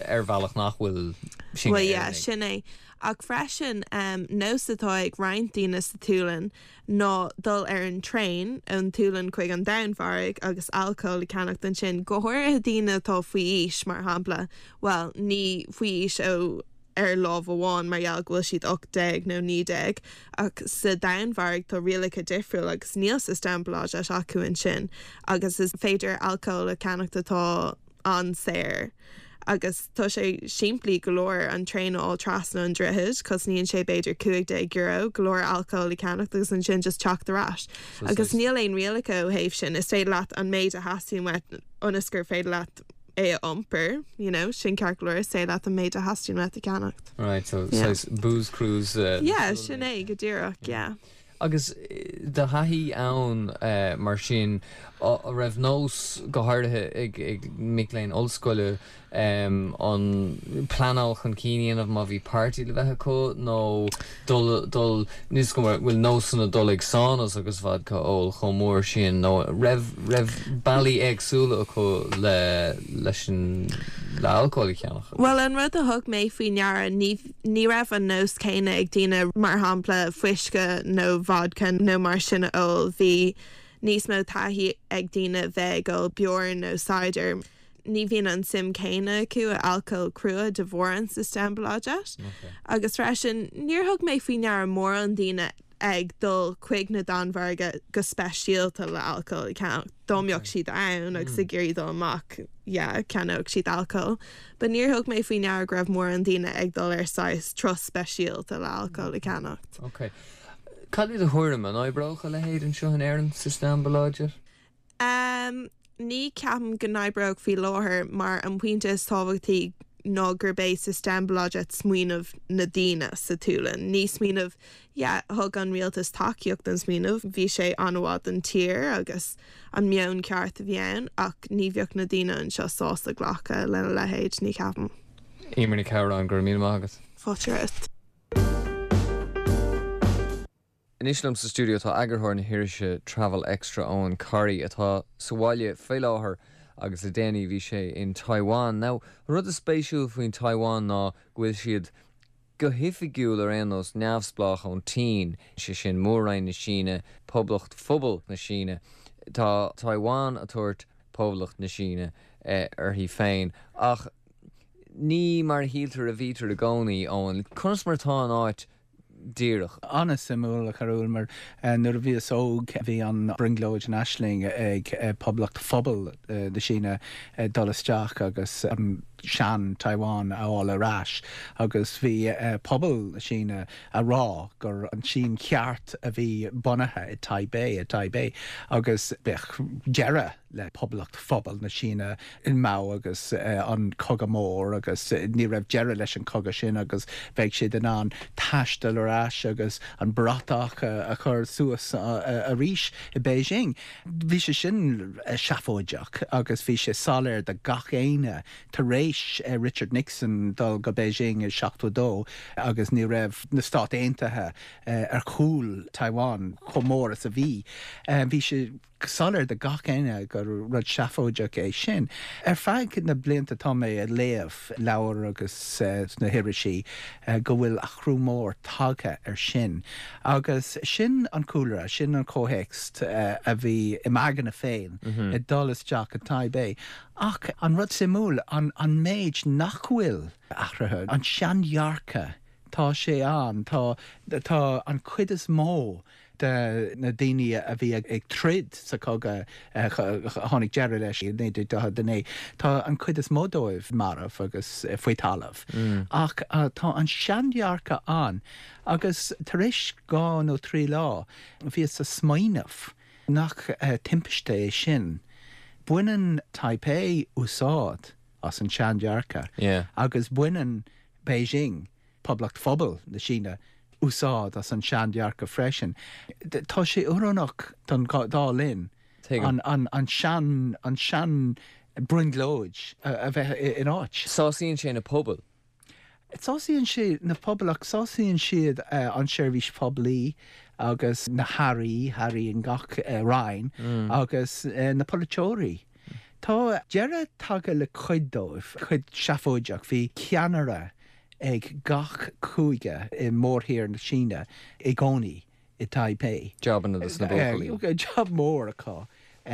ar bhealach nach bhfuil sin Bhuel, yeah, sin é. Ach freisin, nós atá ag roinnt daoine sa tSualainn ná dul ar an traein ón tSualainn chuig an Danmhairg agus alcól a cheannacht ansin, go háirithe daoine atá faoi aois, mar shampla, bhuel, ní faoi aois ó ar lámh amháin mar gheall go bhfuil siad 18 nó 19 ach sa Danmhairg tá rialacha difriúil agus níl Systembolaget acu ansin agus is féidir alcól a cheannacht atá an-saor agus tá sé simplí go leor an traein a fháil trasna an droichead, cosnaíonn sé b'fhéidir €15 go leor alcól a cheannacht agus ansin just teacht ar ais agus níl aon rialacha ó thaobh sin, is féidir leat an méid a theastaíonn uait ionas gur féidir leat é a iompar, you know, sin ceart go leor, is féidir leat an méid a theastaíonn uait a cheannacht. Right, so yeah. saghas booze cruise. Uh, yeah, sin é, go díreach, yeah. Agus do thaithí ann mar sin, an raibh nós go háirithe ag ag mic léinn ollscoile an pleanáil chun cinn a dhéanamh má bhí party le bheith acu nó dul dul níos go bhfuil nósanna dul ag saunas agus vodka a ól chomh mór sin nó raibh raibh bealaí éagsúla acu le leis an le alcól a cheannach. Bhuel an rud a thug mé faoi ndeara ní ní raibh an nós céanna ag daoine mar shampla fuisce nó vodka nó mar sin a ól bhí níos mó taithí ag daoine bheith ag ól beoir nó cider. Ní bhíonn an suim céanna acu i alcól crua de bharr an Systembolaget. Agus freisin níor thug mé faoi ndeara mórán daoine. ag dul chuig na Danmhairge go speisialta le alcól a cheannacht. Dá mbeadh siad ann agus ag iarraidh dul amach, yeah, cheannódh siad alcól. But níor thug mé faoi ndeara go raibh mórán daoine ag dul ar saghas turas speisialta le alcól a cheannacht. Ok. Cad é do thuairim, an oibreodh a leithéid anseo in Éirinn, Systembolaget? Em, ní ceapaim go n-oibreodh faoi láthair mar an pointe is tábhachtaí ná gurb é Systembolaget smaoineamh na daoine sa tSualainn. Ní smaoineamh, yeah, thug an rialtas tacaíocht don smaoineamh, bhí sé an-mhaith don tír agus an meon ceart a bhí ann ach ní bheadh na daoine anseo sásta glacadh lena leithéid, ní cheapaim. Eimear Nic Shamhráin, go raibh míle maith agat. Fáilte romhat. Anois liom sa stiúideo tá eagarthóir na hirise Travel Extra, Eoghan Corry, atá sa bhaile faoi láthair agus le déanaí bhí sé in Taiwan. Now, an rud is spéisiúil faoin Taiwan ná go bhfuil siad, go hoifigiúil ar aon nós, neamhspleách ón tSín, sé sin Mór-Roinn na Síne, Poblacht Phobal na Síne. Tá Taiwan a' tabhairt Poblacht na Síne uirthi féin ach ní mar a shíltear a bhítear i gcónaí, Eoghan. Conas mar atá an áit díreach. An-suimiúil, a Charúil, mar nuair a bhíos óg bhí an brionglóid, an aisling ag Poblacht Phobal na Síne dul isteach agus an sean Taiwan a fháil ar ais agus bhí pobal na Síne a rá gur an tSín cheart a bhí bunaithe i Taipei, i Taipei agus bheadh deireadh le Poblacht Phobal na Síne in Mao agus an Cogadh Mór agus ní raibh deireadh leis an chogadh sin agus bheadh siad in ann taisteal ar ais agus an bratach a chur suas arís i Beijing. Bhí sé sin seafóideach agus bhí sé soiléir do gach éinne tar éis Richard Nixon dul go Beijing i 72 agus ní raibh na Stáit Aontaithe ar chúl Taiwan chomh mór is a bhí. Bhí sé. soiléir do gach éinne gur rud seafóideach é sin. Ar feadh na blianta tá mé ag léamh leabhair agus sna hirisí go bhfuil athrú mór tagtha ar sin. Agus sin an cúlra, sin an comhthéacs a bhí i m'aigne féin ag dul isteach i Taipei. Ach an rud suimiúil, an méid nach bhfuil athraithe, an seandhearcadh, tá sé ann, tá, tá an chuid is mó de na daoine a bhí ag troid sa chogadh a tháinig deireadh leis i 1949, tá an chuid is mó dóibh marbh agus faoi talamh. Ach tá an seandhearcadh ann agus tar éis dhá nó trí lá bhíos ag smaoineamh nach timpiste é sin. Baineann Taipei úsáid as an seandhearcadh agus baineann Beijing Poblacht Phobal na Síne úsáid as an seandhearcadh freisin. Tá sé oiriúnach don dá linn an sean an sean brionglóid a bheith in áit. Sásaíonn sé na pobail. Sásaíonn sé na pobail ach sásaíonn siad an seirbhís phoiblí agus na hairí, hairí in gach roinn agus na polaiteoirí. Tá deireadh tagtha le cuid dóibh, cuid seafóideach. Bhí ceannaire ag gach cúige i mórthír na Síne i gcónaí i Taipei. Jabanna dos na buachaillí. Jab mór acu,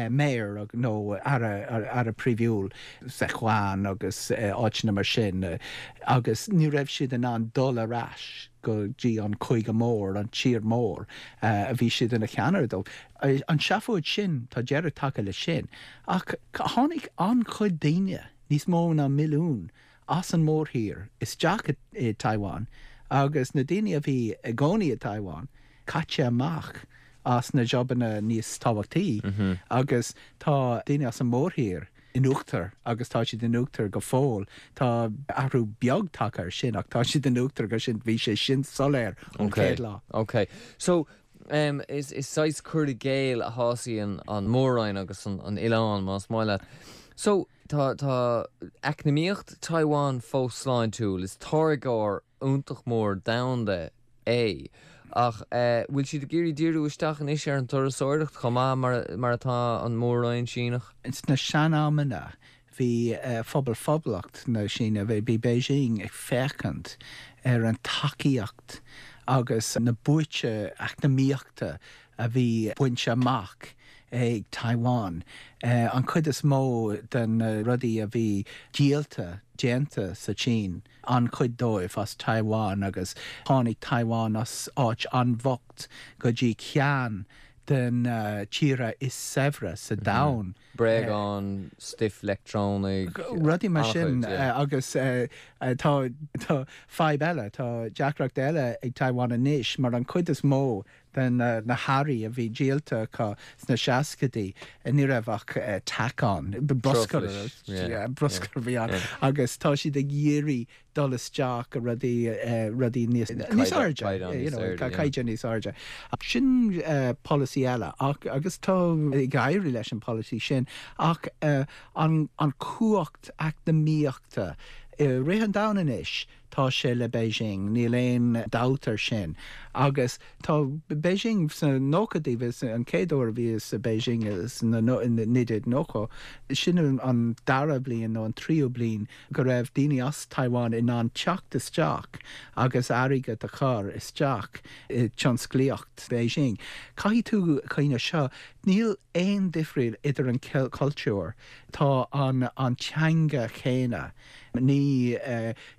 mayor nó aire, aire príomhúil, Sichuan agus áiteanna mar sin agus ní raibh siad in ann dul ar ais go dtí an cúige mór, an tír mór a bhí siad ina cheannaire dó. An seafóid sin, tá deireadh tagtha leis sin. Ach tháinig an-chuid daoine, níos mó ná milliún, as an mórthír isteach i Taiwan agus na daoine a bhí i gcónaí i Taiwan caite amach as na jabanna níos tábhachtaí agus tá daoine as an mórthír in uachtar agus tá siad in uachtar go fóill. Tá athrú beag tagtha ar sin ach tá siad in uachtar go sin bhí sé sin soiléir ón chéad lá. Ok. So, is saghas cur i gcéill a shásaíonn an mór-roinn agus an oileán más maith leat. So, Tá tá eacnamaíocht Taiwan fós sláintiúil, is táirgeoir iontach mór domhanda é. Ach bhfuil siad ag iarraidh díriú isteach anois ar an turasóireacht chomh maith mar mar atá an Mór-Roinn Síneach? Sna sean-amanna bhí Phobal Phoblacht na Síne, bhí Beijing ag féachaint ar an tacaíocht agus na buaite eacnamaíochta a bhí bainte amach. ag Taiwan. An chuid is mó de na rudaí a bhí díolta, déanta sa tSín, an-chuid dóibh as Taiwan agus tháinig Taiwan as áit an-bhocht go dtí ceann de na tíortha is saibhre sa domhan. Bréagáin, stuif leictreonaigh, Rudaí mar sin agus tá tá fadhb eile, tá deacracht eile ag Taiwan anois mar an chuid is mó de na hearraí a bhí díolta acu sna seascaidí, ní raibh ach tacáin, bruscar, bruscar a bhí ann agus tá siad ag iarraidh dul isteach i rudaí, rudaí níos, níos airde, you know, caighdeán níos airde. Sin polasaí eile ach, agus tá ag éirí leis an polasaí sin ach an, an cumhacht eacnamaíochta i rith an domhain anois, Tá sé le Beijing, níl aon dabht air sin. Agus tá Beijing sna nóchaidí, bhí an chéad uair a bhíos i Beijing sna 1990, sin an dara bliain nó an tríú bliain go raibh daoine as Taiwan in ann teacht isteach agus airgead a chur isteach i tionsclaíocht Beijing. Caithfidh tú cuimhneamh seo, níl aon difríl idir an cultúr, tá an teanga chéanna. Ní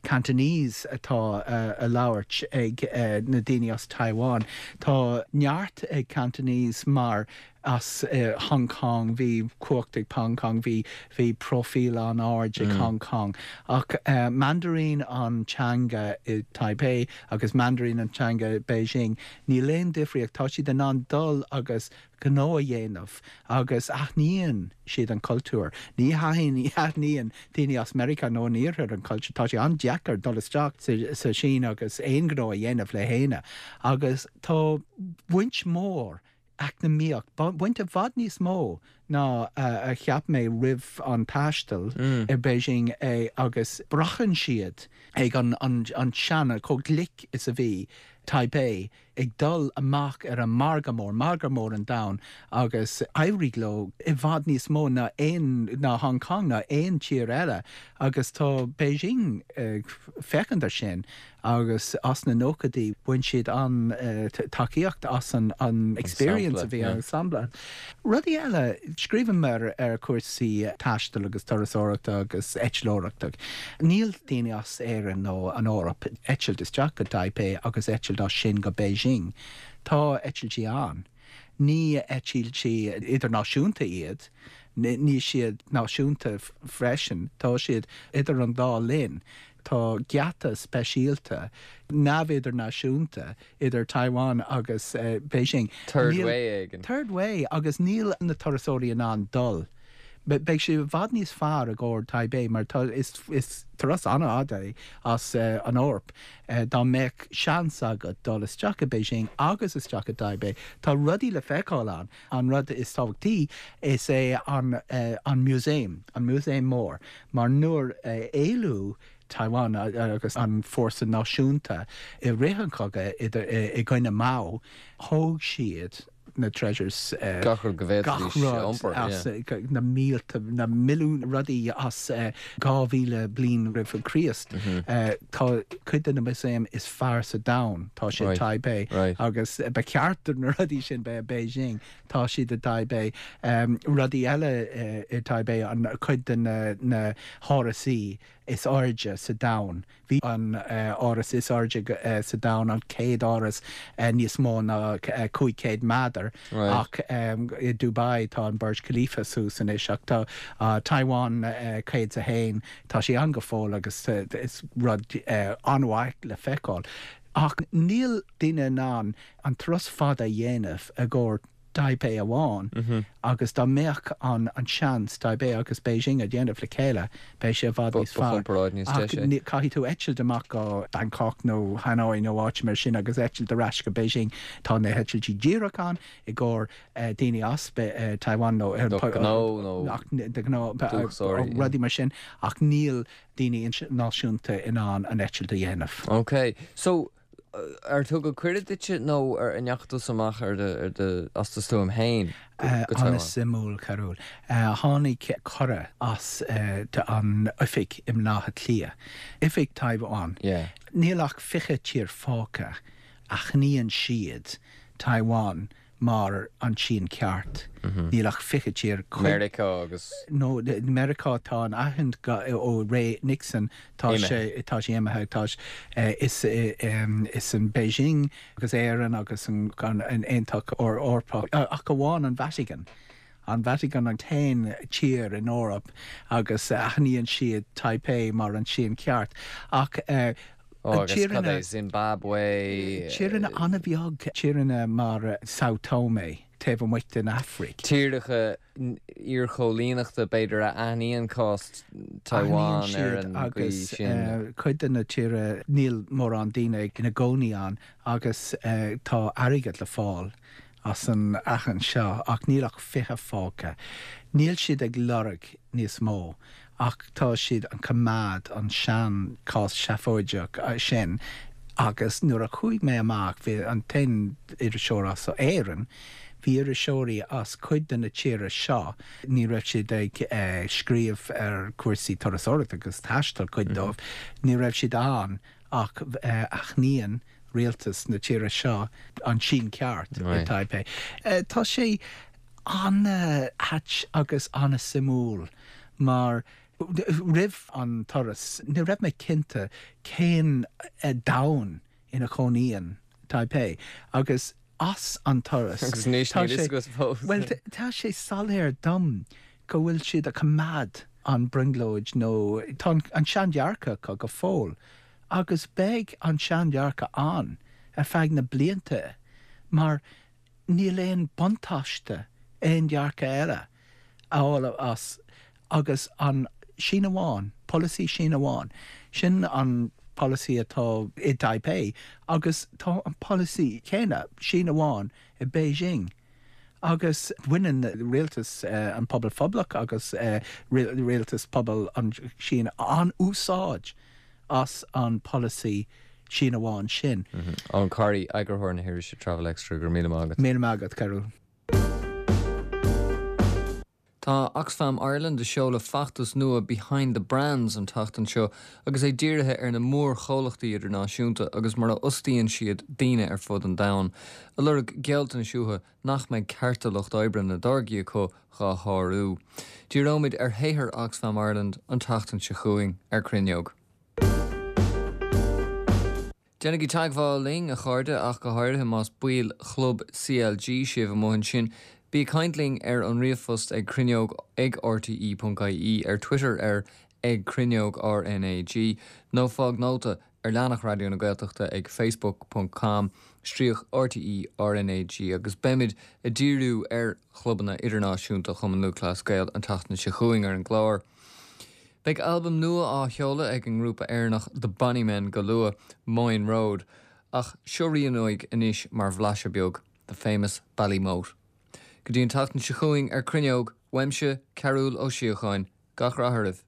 Cantonese atá á labhairt ag na daoine as Taiwan. Tá neart ag Cantonese mar as Hong Kong, bhí cumhacht ag Hong Kong, bhí bhí próifíl an-ard ag Hong Kong. Ach Mandarin an teanga i Taipei agus Mandarin an teanga i Beijing. Níl aon difríocht, tá siad in ann dul agus gnó a dhéanamh agus aithníonn siad an cultúr. Ní aithníonn daoine as Meiriceá nó an Iarthair an cultúr. Tá sé an-deacair dul isteach sa Sín agus aon ghnó a dhéanamh le héinne. Agus tá baint mhór eacnamaíocht, baint i bhfad níos mó ná a cheap mé roimh an taisteal i Beijing é agus braitheann siad ag an an sean, chomh glic is a bhí Taipei ag dul amach ar an margadh mór, margadh mór an domhain, agus éirigh leo i bhfad níos mó ná aon, ná Hong Kong ná aon tír eile agus tá Beijing ag féachaint ar sin agus as na nóchaidí bhain siad an-tacaíocht as an experience a bhí ann, sampla. Rudaí eile, scríobhaim ar ar chúrsaí taistil agus turasóireachta agus eitleoireachta. Níl daoine as Éirinn nó an Eoraip eitilt isteach go Taipei agus eitilt as sin go Beijing. Tá eitiltí ann. Ní eitiltí idirnáisiúnta iad, níl siad náisiúnta freisin, tá siad idir an dá linn. Tá geata speisialta neamh-idirnáisiúnta idir Taiwan agus Beijing. Third way éigin. Third way agus níl na turasóirí in ann dul. Beidh sé i bhfad níos fearr i gcomhair Taipei mar tá is is turas an-fhada é as an Eoraip. Dá mbeadh seans agat dul isteach i Beijing agus isteach i dTaipei, tá rudaí le feiceáil ann. An rud is tábhachtaí is é an an músaem, an músaem mór, mar nuair a éalú Taiwan agus an fórsa náisiúnta i rith an chogaidh idir i gcoinne Mao, thóg siad na treasures, gach rud go bhféadfaidís a iompar, as na mílte, na milliúin rudaí as 2,000 bliain roimh Chríost. Tá cuid de na músaeim is fearr sa domhan, tá sé i Taipei agus ba cheart do na rudaí sin bheith i Beijing, tá siad i dTaipei. Rudaí eile i Taipei, an cuid de na hárasaí is airde sa domhan. Bhí an áras is airde sa domhan, an chéad áras níos mó ná 500 méadar ach i Dubai tá an Burj Khalifa suas anois ach tá Taiwan 101, tá sé ann go fóill agus is rud an-mhaith le feiceáil. Ach níl daoine in ann an turas fada a dhéanamh i gcomhair Taipei amháin agus dá mbeadh an an seans Taipei agus Beijing a dhéanamh le chéile beidh sé i bhfad níos fearr. Ach caithfidh tú eitilt amach go Bangkok nó Hanoi nó áit mar sin agus eitilt ar ais go Beijing. Tá na heitiltí díreach ann i gcomhair daoine as Taiwan nó de gnó rudaí mar sin ach níl daoine náisiúnta in ann an eitilt a dhéanamh. Ok. So Ar tugadh cuireadh duitse nó ar an ndeachaigh tusa amach ar do, ar do, as do stuaim féin go Taiwan? An-suimiúil, a Chearúil. Tháinig cuireadh as an oifig i mBaile Átha Cliath, oifig Taiwan. Níl ach 20 tír fágtha a aithníonn siad Taiwan. mar an tSín ceart. Níl ach 20 tír. Meiriceá agus. No, Meiriceá tá an aithint ó ré Nixon tá sé tá sé imithe tá is is an Beijing agus Éirinn agus an Aontas Eorpach ach amháin an Vatican. An Vatican an t-aon tír in Eoraip agus aithníonn siad Taipei mar an tSín ceart ach Ó, agus cad é Zimbabwe? Tíreanna an-bheag, tíreanna mar Sao Tome taobh amuigh den Afraic. Tíortha iarchoilíneachta, b'fhéidir, a aithníonn cás Taiwan ar an gcaoi sin. Agus cuid de na tíortha, níl mórán daoine ina gcónaí ann agus tá airgead le fáil as an aithint seo ach níl ach 20 fágtha. Níl siad ag lorg níos mó ach tá siad ag coimeád an sean cás seafóideach sin agus nuair a chuaigh mé amach bhí an t-aon iriseoir as Éirinn, bhí iriseoirí as cuid de na tíortha seo, ní raibh siad ag scríobh ar cúrsaí turasóireachta agus taistil, cuid dóibh, ní raibh siad ann ach aithníonn rialtas na tíre seo an tSín ceart i Taipei. Tá sé an-ait agus an-suimiúil mar roimh an turas ní raibh mé cinnte cén domhan ina chónaíonn Taipei agus as an turas Agus anois níl fhios agat fós. Bhuel tá sé soiléir dom go bhfuil siad ag coimeád an brionglóid nó tá an seandhearcadh acu go fóill agus beidh an seandhearcadh ann ar feadh na blianta mar níl aon buntáiste aon dhearcadh eile a fháil as agus an Sín amháin, polasaí Sín amháin, sin an polasaí atá i dTaipei agus tá an polasaí céanna, Sín amháin, i Beijing. Agus baineann rialtas an Pobal Phoblacht agus rialtas Pobal an Sín an-úsáid as an polasaí Sín amháin sin. Eoin Corry, eagarthóir na hirise Travel Extra, go raibh míle maith agat. Míle maith agat, Cearbhall. Tá Oxfam Ireland ag seoladh feachtas nua Behind the Brands an tseachtain seo agus é dírithe ar na mórchomhlachtaí idirnáisiúnta agus mar a fhostaíonn siad daoine ar fud an domhain, ag lorg gealltanais uathu nach mbeidh cearta lucht oibre na dtáirgí acu dhá shárú. Díreoimid ar shaothar Oxfam Ireland an tseachtain seo chugainn ar Cruinneog. Déanaigí teagmháil linn, a chairde, ach go háirithe más baill chlub CLG sibh amuigh ansin. Bí ag caint linn ar an ríomhphost ag cruinneog ag rte.ie, ar Twitter ar ag cruinneog RnaG, nó fág nóta ar leathanach Raidió na Gaeltachta ag facebook ponc com stríoc RTÉ RnaG agus beimid ag díriú ar chlubanna idirnáisiúnta Chumann Lúthchleas Gael an tseachtain seo chugainn ar an gclár. Beidh albam nua á sheoladh ag an ngrúpa Éireannach The Bonnymen go luath, Moyne Road, ach seo rian uaidh anois mar bhlaiseadh beag, The Famous Ballymote. Go dtí an tseachtain seo chugainn ar Cruinneog, uaimse, Cearbhall Ó Síocháin, gach rath oraibh!